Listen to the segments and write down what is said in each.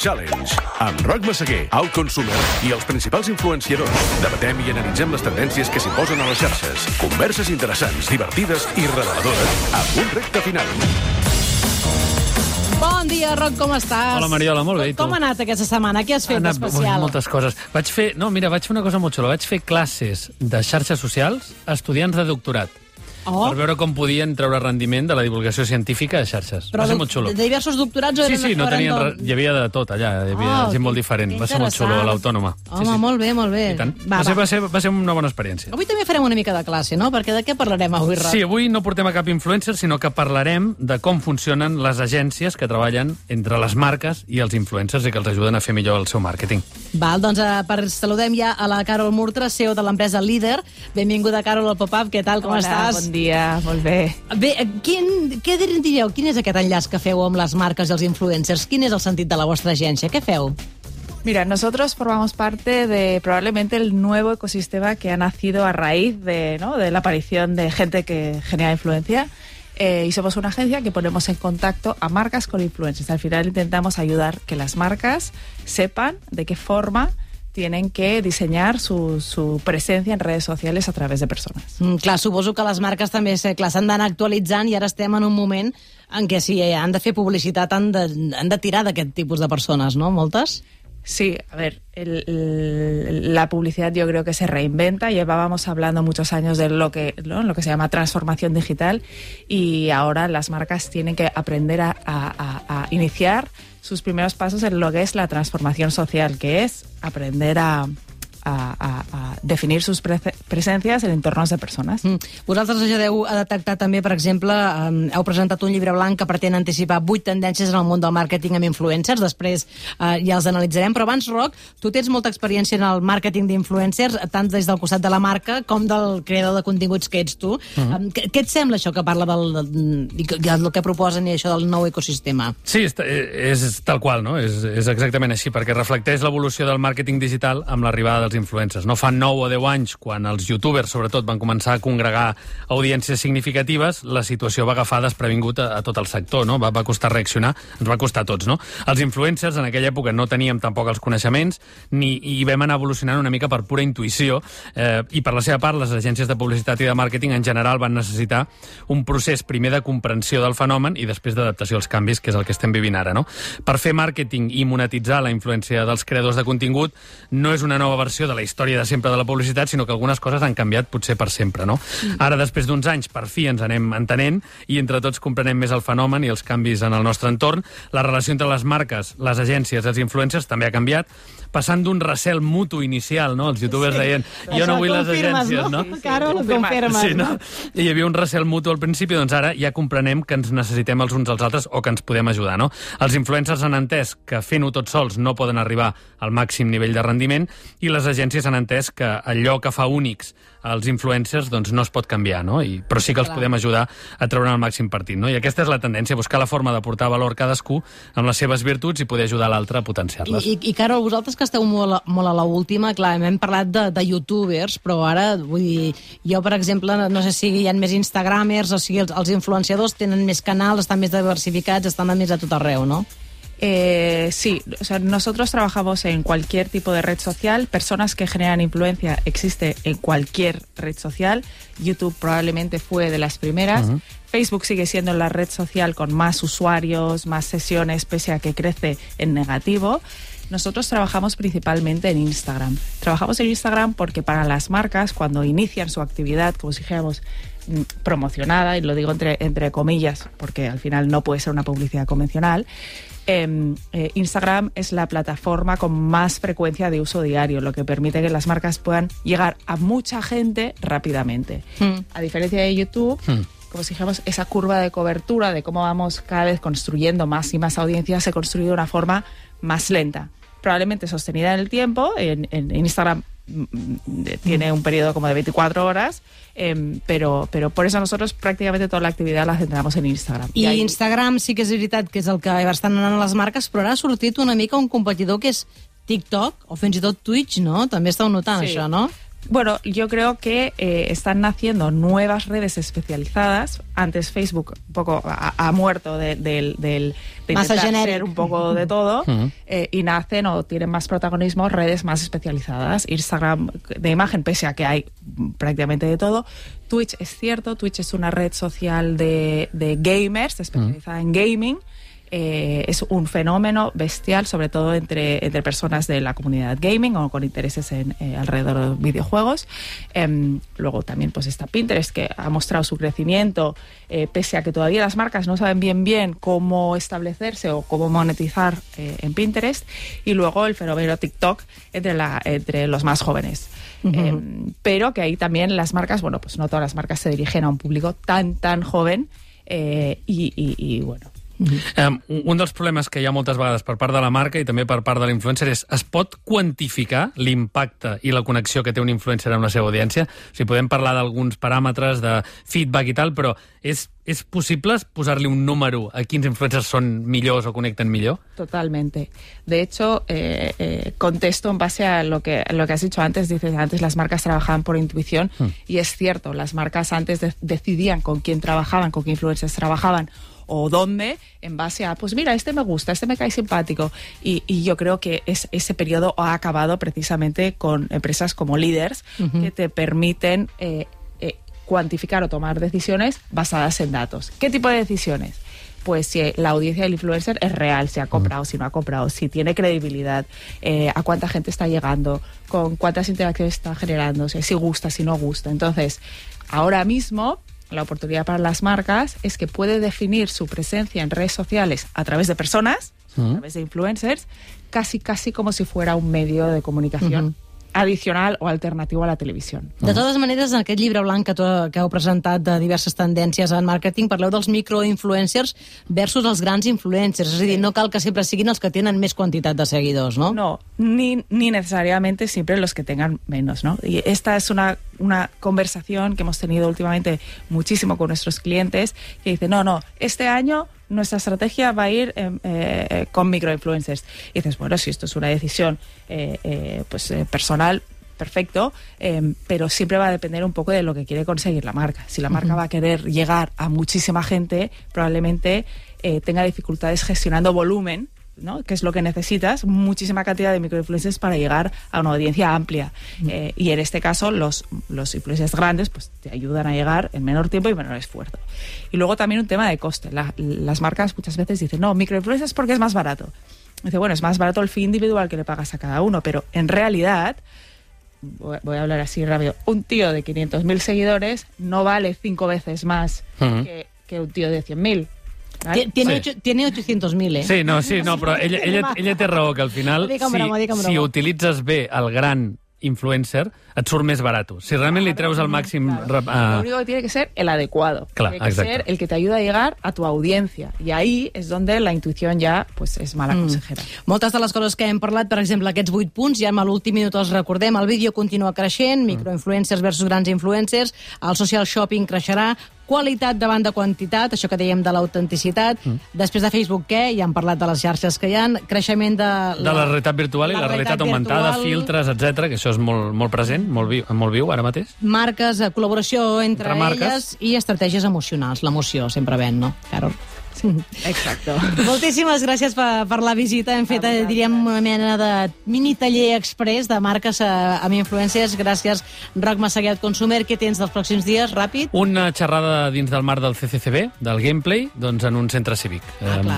Challenge, amb Roc Massaguer, Alt Consumer i els principals influenciadors. Debatem i analitzem les tendències que s'imposen a les xarxes. Converses interessants, divertides i reveladores, amb un repte final. Bon dia, Roc, com estàs? Hola, Mariola, molt bé, i tu? Com ha anat aquesta setmana? Què has fet d'especial? Moltes coses. Vaig fer una cosa molt xula. Vaig fer classes de xarxes socials a estudiants de doctorat. Per veure com podien treure rendiment de la divulgació científica de xarxes. Va ser molt xulo. De diversos doctorats? Sí, no tenien hi havia de tot allà, hi havia gent molt diferent. Va ser molt xulo, a l'Autònoma. Home, molt bé, molt bé. I tant. Va ser una bona experiència. Avui també farem una mica de classe, no? Perquè de què parlarem avui, Roc? Sí, avui no portem a cap influencer, sinó que parlarem de com funcionen les agències que treballen entre les marques i els influencers i que els ajuden a fer millor el seu màrqueting. Val, doncs saludem ja a la Carol Murtra, CEO de l'empresa Líder. Benvinguda, Carol, al Pop-Up. Què tal, com estàs? Bon dia, molt bé. Bé, què diríeu? Quin és aquest enllaç que feu amb les marques i els influencers? Quin és el sentit de la vostra agència? Què feu? Mira, nosotros formamos parte de probablemente el nuevo ecosistema que ha nacido a raíz de la aparición de gente que genera influencia. Y somos una agencia que ponemos en contacto a marcas con influencers. Al final intentamos ayudar que las marcas sepan de qué forma tienen que diseñar su presencia en redes sociales a través de persones. Clar, suposo que les marques també s'han d'anar actualitzant i ara estem en un moment en què si han de fer publicitat han de tirar d'aquest tipus de persones, no? Moltes? Sí, a ver, la publicidad yo creo que se reinventa. Llevábamos hablando muchos años de lo que se llama transformación digital y ahora las marcas tienen que aprender a iniciar sus primeros pasos en lo que es la transformación social, que es aprender a definir sus presencias en entornos de persones. Vosaltres ajudeu a detectar també, per exemple, heu presentat un llibre blanc que pretén anticipar 8 tendències en el món del màrqueting amb influencers, després ja els analitzarem, però abans, Roc, tu tens molta experiència en el màrqueting d'influencers, tant des del costat de la marca com del creador de continguts que ets tu. Què et sembla això que parla del que proposen i això del nou ecosistema? Sí, és tal qual, no? És exactament així, perquè reflecteix l'evolució del màrqueting digital amb l'arribada dels influencers. No fa 9 o 10 anys, quan els youtubers, sobretot, van començar a congregar audiències significatives, la situació va agafar desprevingut a tot el sector, no? Va costar reaccionar, ens va costar a tots, no? Els influencers, en aquella època, no teníem tampoc els coneixements i vam anar evolucionant una mica per pura intuïció i per la seva part, les agències de publicitat i de màrqueting en general van necessitar un procés primer de comprensió del fenomen i després d'adaptació als canvis, que és el que estem vivint ara, no? Per fer màrqueting i monetitzar la influència dels creadors de contingut no és una nova versió de la història de sempre de la publicitat, sinó que algunes coses han canviat potser per sempre, no? Ara, després d'uns anys, per fi ens anem entenent i entre tots comprenem més el fenomen i els canvis en el nostre entorn. La relació entre les marques, les agències i els influencers també ha canviat, passant d'un recel mutu inicial, no? Els youtubers deien, jo no vull les agències, no? Carol, ho confirmes. Sí, no? I hi havia un recel mutu al principi, doncs ara ja comprenem que ens necessitem els uns als altres o que ens podem ajudar, no? Els influencers han entès que fent-ho tots sols no poden arribar al màxim nivell de rendiment i les agències han entès que allò que fa únics els influencers doncs no es pot canviar, no? Però sí que els podem ajudar a treure el màxim partit, no? I aquesta és la tendència, buscar la forma de portar valor cadascú amb les seves virtuts i poder ajudar l'altre a potenciar-les. I Carol, vosaltres que esteu molt a l'última, clar, hem parlat de youtubers, però ara, vull dir, jo, per exemple, no sé si hi ha més instagramers, o sigui, els influenciadors tenen més canals, estan més diversificats, estan més a tot arreu, no? Sí, o sea, nosotros trabajamos en cualquier tipo de red social. Personas que generan influencia existe en cualquier red social. YouTube probablemente fue de las primeras. Facebook sigue siendo la red social con más usuarios, más sesiones, pese a que crece en negativo. Nosotros trabajamos principalmente en Instagram. Trabajamos en Instagram porque para las marcas, cuando inician su actividad, como si dijéramos, promocionada, y lo digo entre comillas, porque al final no puede ser una publicidad convencional, Instagram es la plataforma con más frecuencia de uso diario, lo que permite que las marcas puedan llegar a mucha gente rápidamente. A diferencia de YouTube, como si dijéramos, esa curva de cobertura de cómo vamos cada vez construyendo más y más audiencias se construye de una forma más lenta, probablemente sostenida en el tiempo. En Instagram tiene un periodo como de 24 horas, pero por eso nosotros prácticamente toda la actividad la centramos en Instagram. I Instagram sí que és veritat que és el que estan anant a les marques, però ara ha sortit una mica un competidor que és TikTok o fins i tot Twitch, no? També estàu notant això, no? Bueno, yo creo que están naciendo nuevas redes especializadas. Antes Facebook un poco ha muerto de intentar ser un poco de todo, y nacen o tienen más protagonismo redes más especializadas. Instagram de imagen, pese a que hay prácticamente de todo. Twitch es cierto, Twitch es una red social de gamers especializada en gaming. Es un fenómeno bestial, sobre todo entre personas de la comunidad gaming o con intereses alrededor de videojuegos. Luego también pues está Pinterest, que ha mostrado su crecimiento, pese a que todavía las marcas no saben bien cómo establecerse o cómo monetizar en Pinterest. Y luego el fenómeno TikTok entre los más jóvenes. Pero que ahí también las marcas, bueno, pues no todas las marcas se dirigen a un público tan joven, y bueno. Un dels problemes que hi ha moltes vegades per part de la marca i també per part de l'influencer és: es pot quantificar l'impacte i la connexió que té un influencer amb la seva audiència? O sigui, podem parlar d'alguns paràmetres de feedback i tal, però és possible posar-li un número a quins influencers són millors o connecten millor? Totalmente. De hecho, contesto en base a lo que has dicho antes. Dices, antes las marcas trabajaban por intuición, y es cierto, las marcas antes decidían con quién trabajaban, con qué influencers trabajaban, o dónde, en base a, pues mira, este me gusta, este me cae simpático. Y yo creo que ese periodo ha acabado precisamente con empresas como Leaders, que te permiten cuantificar o tomar decisiones basadas en datos. ¿Qué tipo de decisiones? Pues si la audiencia del influencer es real, si ha comprado, si no ha comprado, si tiene credibilidad, a cuánta gente está llegando, con cuántas interacciones está generando, si gusta, si no gusta. Entonces, ahora mismo la oportunidad para las marcas es que puede definir su presencia en redes sociales a través de personas, a través de influencers, casi como si fuera un medio de comunicación addicional o alternatiu a la televisió. De totes maneres, en aquest llibre blanc que heu presentat de diverses tendències en màrqueting, parleu dels microinfluencers versus els grans influencers. És a dir, no cal que sempre siguin els que tenen més quantitat de seguidors, ¿no? No, ni necesariamente siempre los que tengan menos, ¿no? Y esta es una conversación que hemos tenido últimamente muchísimo con nuestros clientes, que dicen, no, este año nuestra estrategia va a ir con microinfluencers. Y dices, bueno, si esto es una decisión personal, perfecto, pero siempre va a depender un poco de lo que quiere conseguir la marca. Si la marca va a querer llegar a muchísima gente, probablemente tenga dificultades gestionando volumen, ¿no? Que es lo que necesitas, muchísima cantidad de microinfluencers para llegar a una audiencia amplia. Y en este caso, los influencers grandes pues te ayudan a llegar en menor tiempo y menor esfuerzo. Y luego también un tema de coste. Las marcas muchas veces dicen, no, microinfluencers porque es más barato. Dice, bueno, es más barato el fee individual que le pagas a cada uno, pero en realidad, voy a hablar así rápido, un tío de 500.000 seguidores no vale 5 veces más que un tío de 100.000. Tiene 800.000, Sí, no, però ella té raó, que al final, si utilitzes bé el gran influencer, et surt més barat. Si realment li treus al màxim... Lo único que tiene que ser el adecuado. Claro, tiene que ser el que te ayuda a llegar a tu audiencia. Y ahí es donde la intuición ya pues, es mala consejera. Moltes de les coses que hem parlat, per exemple, aquests 8 punts, ja a l'últim minut els recordem, el vídeo continua creixent, microinfluencers versus grans influencers, el social shopping creixerà, qualitat davant de quantitat, això que dèiem de l'autenticitat. Després de Facebook, què? Ja hem parlat de les xarxes que hi ha, creixement de la realitat virtual i la realitat augmentada, filtres, etc, que això és molt present, molt viu ara mateix. Marques, col·laboració entre elles i estratègies emocionals. L'emoció sempre ven, no, Carol? Exacto. Moltíssimes gràcies per la visita. Hem fet, diríem, una mena de mini taller express de marques amb influències. Gràcies, Roc Massaguet, Consumer. Què tens dels pròxims dies, ràpid? Una xerrada dins del marc del CCCB, del gameplay, doncs en un centre cívic.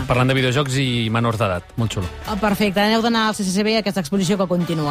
Parlant de videojocs i menors d'edat. Molt xulo. Perfecte. Aneu d'anar al CCCB, aquesta exposició que continua.